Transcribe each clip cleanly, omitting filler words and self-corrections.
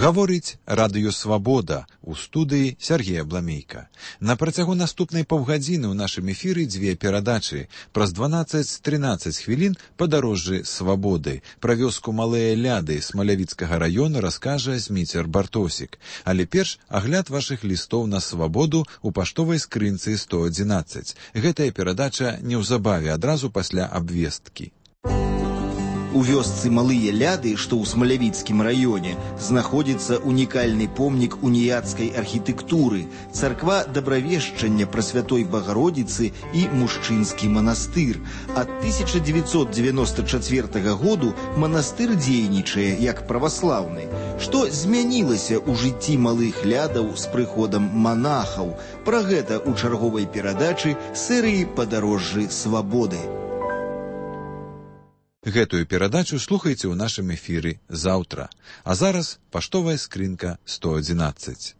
Гаворыць Радыё Свабода, у студыі Сергея Бламейка. На працягу наступнай паўгадзіны ў нашым эфіры дзве перадачы. Праз 12-13 хвілін падарожжы Свабоды. Пра вёску Малыя Ляды Смалявіцкага раёна раскажа Зміцер Бартосік. Але перш агляд вашых лістоў на Свабоду ў паштовай скрынцы 111. Гэтая перадача неўзабаве адразу пасля абвесткі. У вёсцы Малыя Ляды, што ў Смалявіцкім раёне, знаходзіцца унікальны помнік уніяцкай архітэктуры, царква Дабравешчання Прасвятой Багародзіцы і мужчынскі манастыр. Ад 1994 году манастыр дзейнічае як праваслаўны. Што змянілася ў жыцці Малых Лядаў з прыходам манахаў? Пра гэта ў чарговай перадачы серыі «Падарожжы Свабоды». Гэтую перадачу слухайце ў нашым эфіры заўтра. А зараз паштовая скрынка 111.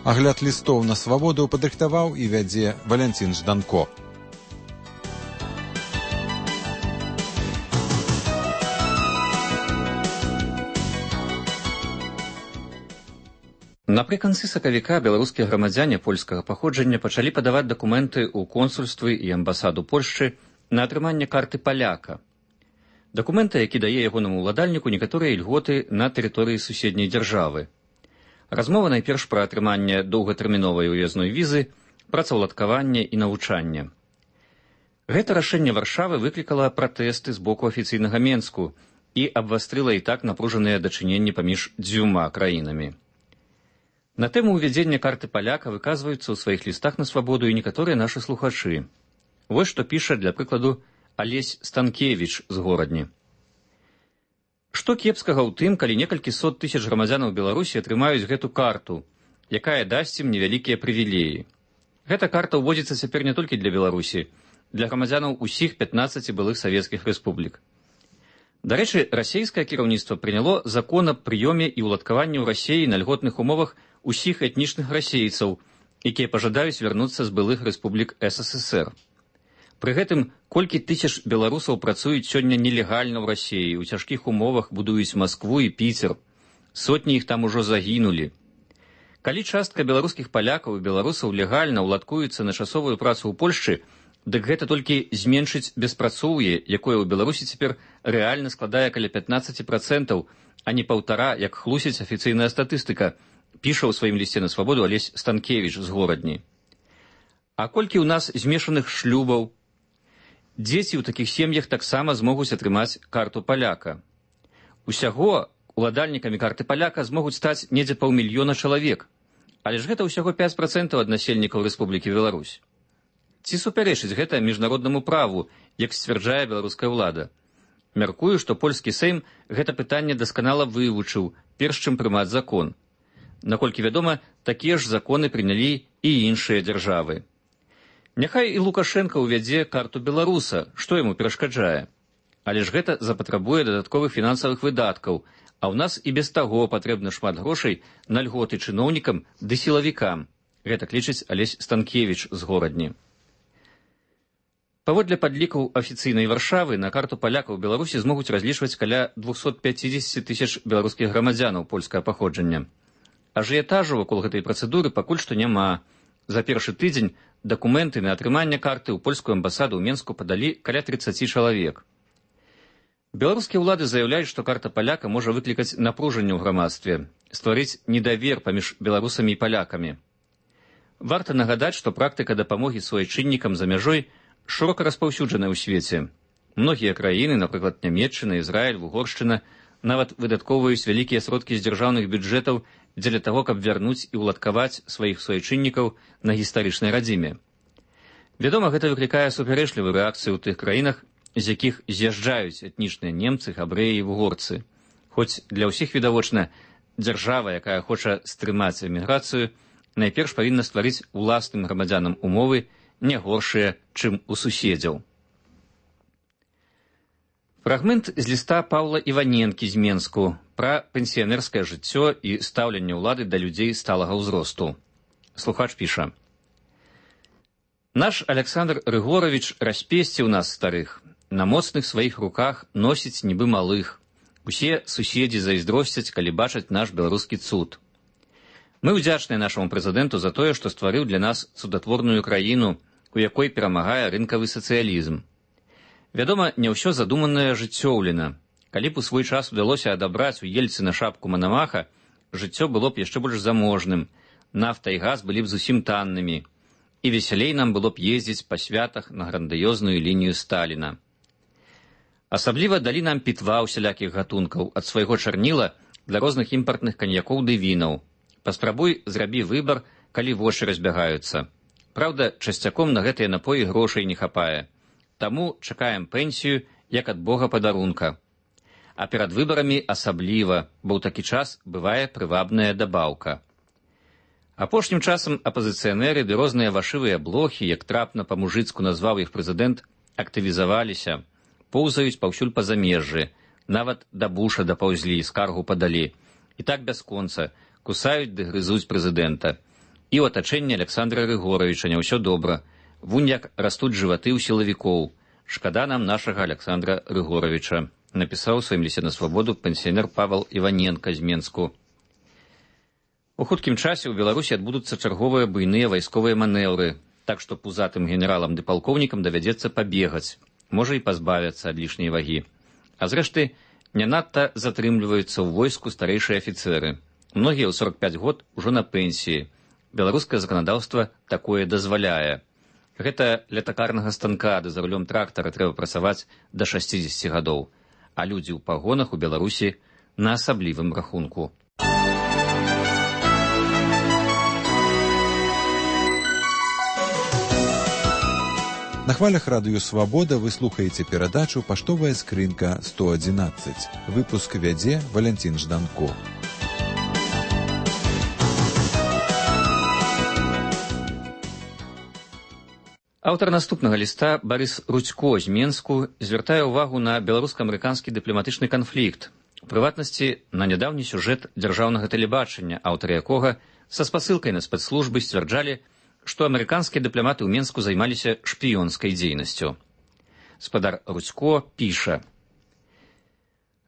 Агляд лістоў на Свабоду падрыхтаваў і вядзе Валянцін Жданко. Напрыканцы сакавіка беларускія грамадзяне польскага паходжання пачалі падаваць дакументы ў консульствы і амбасаду Польшчы на атрыманне карты паляка. Дакумента, які дае ягонаму ўладальніку некаторыя ільготы на тэрыторыі суседняй дзяржавы. Размова найперш пра атрыманне доўгатэрміновай уязной візы, працаўладкаванне і навучанне. Гэта рашэнне Варшавы выклікала пратэсты з боку афіцыйнага Менску і абвастрыла і так напружаныя дачыненні паміж дзвюма краінамі. На тэму ўвядзення карты паляка выказваюцца ў сваіх лістах на Свабоду і некаторыя нашы слухачы. Вось што піша, для прыкладу, Алесь Станкевіч з Горадні. Што кепскага ў тым, калі некалькі сот тысяч грамадзянаў Беларусі атрымаюць гэту карту, якая дасць ім невялікія прывілеі. Гэта карта ўводзіцца цяпер не толькі для Беларусі, для грамадзянаў усіх 15 былых савецкіх рэспублік. Дарэчы, расейскае кіраўніцтва прыняло закон аб прыёме і ўладкаванні ў Расеі на льготных умовах усіх этнічных расейцаў, якія пажадаюць вярнуцца з былых рэспублік СССР. Пры гэтым, колькі тысяч беларусаў працуюць сёння нелегальна ў Расеі, у цяжкіх умовах будуюць Маскву і Піцер. Сотні іх там ужо загінулі. Калі частка беларускіх палякаў і беларусаў легальна ўладкуецца на часовую працу ў Польшчы, дык гэта толькі зменшыць беспрацоўе, якое ў Беларусі цяпер рэальна складае каля 15%, а не 1,5%, як хлусіць афіцыйная статыстыка, піша ў сваім лісце на Свабоду Алесь Станкевіч з Горадні. А колькі ў нас змешаных шлюбаў? Дзеці ў такіх сем'ях таксама змогуць атрымаць карту паляка. Усяго уладальнікамі карты паляка змогуць стаць недзе 500 000 чалавек, але ж гэта ўсяго 5% ад насельнікаў Рэспублікі Беларусь. Ці супярэчыць гэта міжнароднаму праву, як сцвярджае беларуская ўлада? Мяркую, што польскі Сейм гэта пытанне дасканала вывучыў, перш чым прымаць закон. Наколькі вядома, такія ж законы прынялі і іншыя дзяржавы. Няхай і Лукашенка ўвядзе карту беларуса, што яму перашкаджае. Але ж гэта запатрабуе дадатковых фінансавых выдаткаў, а ў нас і без таго патрэбна шмат грошай на льготы чыноўнікам ды сілавікам. Гэта лічыць Алесь Станкевіч з Горадні. Паводле падлікаў афіцыйнай Варшавы, на карту палякаў Беларусі змогуць разлічваць каля 250 000 беларускіх грамадзянаў польскага паходжання. Ажыятажу вакол гэтай працэдуры пакуль што няма. За першы тыдзень дакументы на атрыманне карты ў польскую амбасаду ў Менску падалі каля 30 чалавек. Беларускія ўлады заяўляюць, што карта паляка можа выклікаць напружанне ў грамадстве, стварыць недавер паміж беларусамі і палякамі. Варта нагадаць, што практыка дапамогі суайчыннікам за мяжой шырока распаўсюджаная ў свеце. Многія краіны, напрыклад, Нямецчына, Ізраіль, Угоршчына, нават выдаткоўваюць вялікія сродкі з дзяржаўных бюджэтаў дзеля таго, каб вярнуць і ўладкаваць сваіх суайчыннікаў на гістарычнай радзіме. Вядома, гэта выклікае супярэчлівую рэакцыю ў тых краінах, з якіх з'язджаюць этнічныя немцы, габрэі і вугорцы. Хоць для ўсіх відавочна, дзяржава, якая хоча стрымаць эміграцыю, найперш павінна стварыць уласным грамадзянам умовы, не горшыя, чым у суседзяў. Фрагмент з ліста Паўла Іваненкі з Менску пра пенсіянерскае жыццё і стаўленне ўлады да людзей сталага ўзросту. Слухач піша. Наш Александр Рыгорович распесціў нас старых, на моцных сваіх руках носіць нібы малых. Усе суседзі зайздросцяць, калі бачаць наш беларускі цуд. Мы ўдзячныя нашаму прэзідэнту за тое, што стварыў для нас цудатворную краіну, у якой перамагае рынкавы сацыялізм. Вядома, не ўсё задуманае жыццёўлена. Калі б у свой час удалося адабраць у Ельцына шапку Манамаха, жыццё было б яшчэ больш заможным, нафта і газ былі б зусім таннымі, і весялей нам было б ездзіць па святах на грандыёзную лінію Сталіна. Асабліва далі нам пітва ўсялякіх гатункаў, ад свайго чарніла для розных імпартных каньякоў ды вінаў. Паспрабуй зрабі выбар, калі вочы разбягаюцца. Праўда, часцяком на гэтыя напоі грошай не хапае. Таму чакаем пенсію, як ад Бога падарунка. А перад выбарамі асабліва, бо ў такі час бывае прывабная дабаўка. Апошнім часам апазіцыянеры ды розныя вашывыя блохі, як трапна па-мужыцку назваў іх прэзідэнт, актывізаваліся, поўзаюць паўсюль па замежжы, нават да Буша дапаўзлі, скаргу падалі. І так бясконца, кусаюць ды грызуць прэзідэнта. І ў атачэнні Александра Рыгоровича не ўсё добра. Вунь як растуць жываты ў сілавікоў. Шкада нам нашага Александра Рыгоровича, напісаў у сваім лісце на свабоду пенсіянер Павел Іваненка з Менску. У хуткім часе ў Беларусі адбудуцца чарговыя буйныя вайсковыя манеўры, так што пузатым генералам ды палкоўнікам давядзецца пабегаць, можа і пазбавяцца ад лішняй вагі. А зрэшты, не надта затрымліваюцца ў войску старэйшыя афіцэры. Многія ў 45 год ужо на пенсіі. Беларускае заканадаўства такое дазваляе. Гэта ля такарнага станка ды за рулём трактара трэба працаваць да 60 гадоў, а людзі ў пагонах у Беларусі на асаблівым рахунку. На хвалях радыё «Свабода» вы слухаеце перадачу «Паштовая скрынка 111». Выпуск вядзе Валянцін Жданко. Аўтар наступнага ліста Барыс Рудзько з Менску звяртае ўвагу на беларуска-амерыканскі дыпламатычны канфлікт, у прыватнасці на нядаўні сюжэт дзяржаўнага тэлебачання, аўтары якога са спасылкай на спецслужбы сцвярджалі, што амерыканскія дыпламаты ў Менску займаліся шпіёнскай дзейнасцю. Спадар Рудзько піша: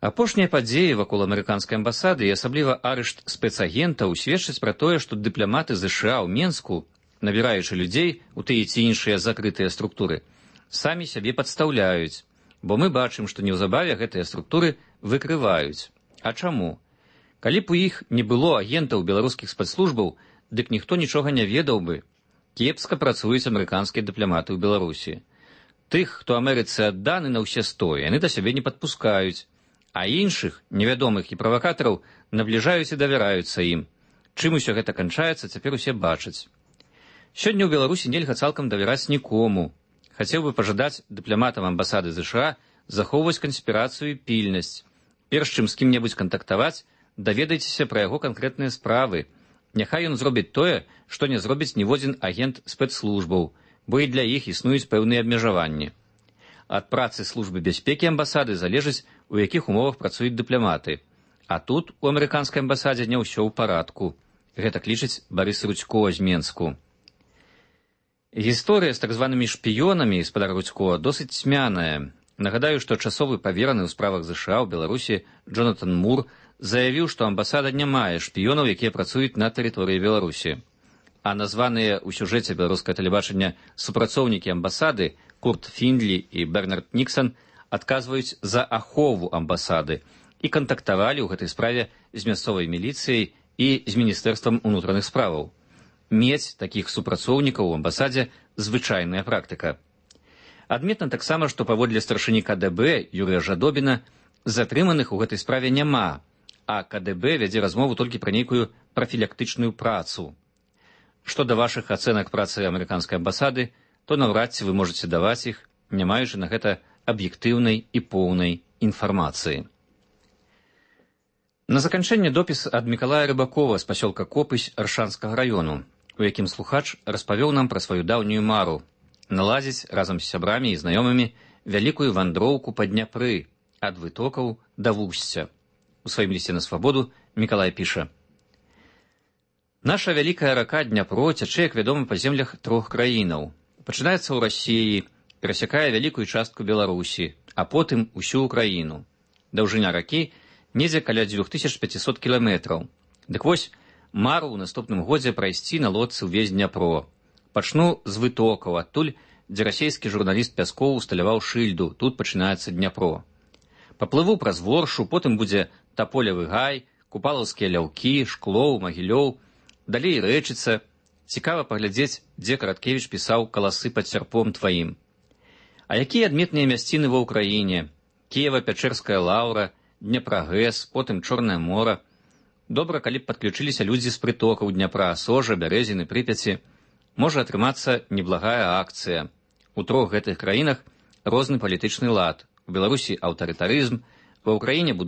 «Апошнія падзеі вакол амерыканскай амбасады і асабліва арышт спецагентаў сведчаць пра тое, што дыпламаты ЗША ў Менску, набіраючы людзей у тыя ці іншыя закрытыя структуры, самі сябе падстаўляюць, бо мы бачым, што неўзабаве гэтыя структуры выкрываюць. А чаму? Калі б у іх не было агентаў беларускіх спецслужбаў, дык ніхто нічога не ведаў бы. Кепска працуюць амерыканскія дыпламаты ў Беларусі. Тых, хто Амерыцы адданы на ўсе 100, яны да сябе не падпускаюць, а іншых, невядомых і правакатараў, набліжаюць і давяраюцца ім. Чым усё гэта канчаецца, цяпер усе бачаць. Сёння ў Беларусі нельга цалкам давяраць нікому. Хацеў бы пажадаць дыпламатам амбасады ЗША захоўваць канспірацыю і пільнасць. Перш чым з кім-небудзь кантактаваць, даведайцеся пра яго канкрэтныя справы. Няхай ён зробіць тое, што не зробіць ніводзін агент спецслужбаў, бо і для іх існуюць пэўныя абмежаванні. Ад працы службы бяспекі амбасады залежыць, у якіх умовах працуюць дыпламаты. А тут у амерыканскай амбасадзе не ўсё ў парадку. Гэта лічыць Барыс Рудзько з Менску. Гісторыя з так званымі шпіёнамі, спадар Рудзько, досыць цьмяная. Нагадаю, што часовы павераны ў справах ЗША ў Беларусі Джонатан Мур заявіў, што амбасада не мае шпіёнаў, якія працуюць на тэрыторыі Беларусі. А названыя ў сюжэце беларускае тэлебачання супрацоўнікі амбасады Курт Фіндлі і Бернард Ніксан адказваюць за ахову амбасады і кантактавалі ў гэтай справе з мясцовай міліцыяй і з міністэрствам унутраных справаў. Мець такіх супрацоўнікаў у амбасадзе звычайная практыка. Адметна таксама, што паводле старшыні КДБ Юрыя Жадобіна затрыманых у гэтай справе няма, а КДБ вядзе размову толькі пра нейкую прафілактычную працу. Што да вашых ацэнак працы амерыканскай амбасады, то наўрад ці вы можаце даваць іх, не маючы на гэта аб'ектыўнай і поўнай інфармацыі. На заканчэнне допіс ад Мікалая Рыбакова з пасёлка Копысь Аршанскага раёну, у якім слухач распавёў нам пра сваю даўнюю мару наладзіць разам з сябрамі і знаёмымі вялікую вандроўку па Дняпры ад вытокаў да вусця. У сваім лісце на свабоду Мікалай піша: «Наша вялікая рака Дняпро цячэ, як вядома, па землях 3 краінаў. Пачынаецца ў Расіі, перасякае вялікую частку Беларусі, а потым усю Украіну. Даўжыня ракі недзе каля 2500 кіламетраў. Дык вось, мару ў наступным годзе прайсці на лодцы ўвесь Дняпро. Пачну з вытокаў, адтуль, дзе расійскі журналіст Пяскоў усталяваў шыльду, тут пачынаецца Дняпро. Паплыву праз Воршу, потым будзе Таполевы гай, Купалаўскія ляўкі, Шклоў, Магілёў, далей Рэчыца. Цікава паглядзець, дзе Караткевіч пісаў «Каласы пад сярпом тваім». А якія адметныя мясціны ва ўкраіне? Кіева-Пячэрская лаўра, Днепрагэс, потым Чорнае мора. Добра, калі б падключыліся людзі з прытокаў Дняпра, Сожа, Бярэзіны, Прыпяці. Можа атрымацца неблагая акцыя. У трох гэтых краінах розны палітычны лад. У Беларусі аўтарытарызм, ва ўкраіне